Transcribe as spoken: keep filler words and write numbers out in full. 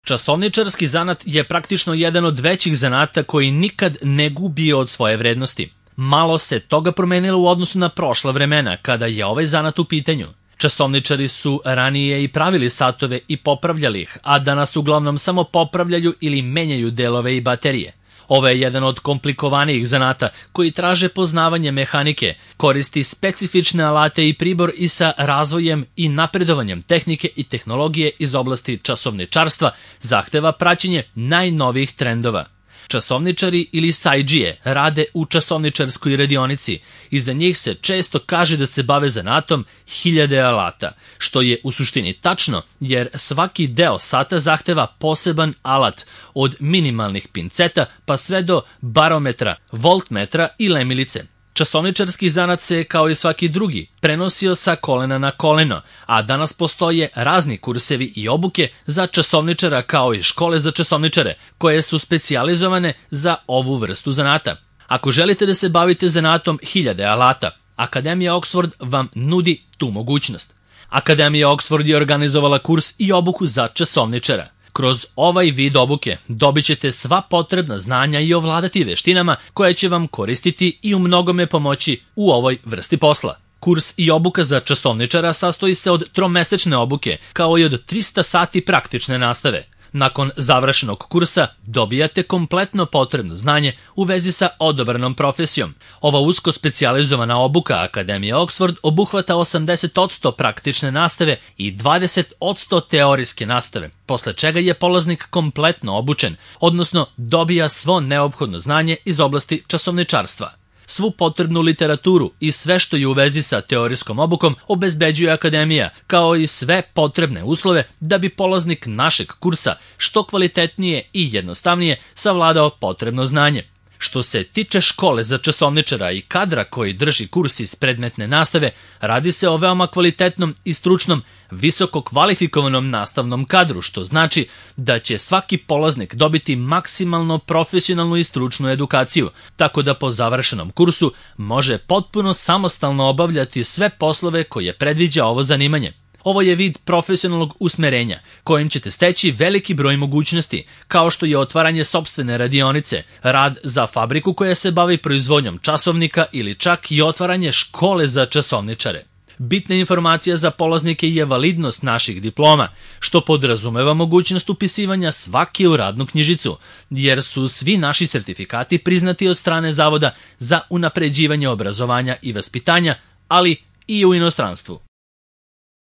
Časovničarski zanat je praktično jedan od većih zanata koji nikad ne gubi od svoje vrednosti. Malo se toga promenilo u odnosu na prošla vremena kada je ovaj zanat u pitanju. Časovničari su ranije i pravili satove i popravljali ih, a danas uglavnom samo popravljaju ili menjaju delove i baterije. Ovo je jedan od komplikovanijih zanata koji traže poznavanje mehanike, koristi specifične alate i pribor i sa razvojem i napredovanjem tehnike i tehnologije iz oblasti časovničarstva zahteva praćenje najnovijih trendova. Časovničari ili sajdžije rade u časovničarskoj radionici i za njih se često kaže da se bave zanatom hiljade alata, što je u suštini tačno jer svaki deo sata zahteva poseban alat od minimalnih pinceta pa sve do barometra, voltmetra i lemilice. Časovničarski zanat se, kao i svaki drugi, prenosio sa kolena na koleno, a danas postoje razni kursevi i obuke za časovničara kao i škole za časovničare, koje su specijalizovane za ovu vrstu zanata. Ako želite da se bavite zanatom hiljade alata, Akademija Oxford vam nudi tu mogućnost. Akademija Oxford je organizovala kurs i obuku za časovničara. Kroz ovaj vid obuke dobit ćete sva potrebna znanja i ovladati veštinama koje će vam koristiti i u mnogome pomoći u ovoj vrsti posla. Kurs i obuka za časovničara sastoji se od tromesečne obuke, kao i od trista sati praktične nastave. Nakon završenog kursa dobijate kompletno potrebno znanje u vezi sa odabranom profesijom. Ova usko specijalizovana obuka Akademije Oxford obuhvata osamdeset posto praktične nastave i dvadeset posto teorijske nastave, posle čega je polaznik kompletno obučen, odnosno dobija svo neophodno znanje iz oblasti časovničarstva. Svu potrebnu literaturu i sve što je u vezi sa teorijskom obukom obezbeđuje Akademija, kao i sve potrebne uslove da bi polaznik našeg kursa što kvalitetnije i jednostavnije savladao potrebno znanje. Što se tiče škole za časovničara i kadra koji drži kurs iz predmetne nastave, radi se o veoma kvalitetnom i stručnom, visoko kvalifikovanom nastavnom kadru, što znači da će svaki polaznik dobiti maksimalno profesionalnu i stručnu edukaciju, tako da po završenom kursu može potpuno samostalno obavljati sve poslove koje predviđa ovo zanimanje. Ovo je vid profesionalnog usmerenja, kojim ćete steći veliki broj mogućnosti, kao što je otvaranje sopstvene radionice, rad za fabriku koja se bavi proizvodnjom časovnika ili čak i otvaranje škole za časovničare. Bitna informacija za polaznike je validnost naših diploma, što podrazumeva mogućnost upisivanja svake u radnu knjižicu, jer su svi naši sertifikati priznati od strane Zavoda za unapređivanje obrazovanja i vaspitanja, ali i u inostranstvu.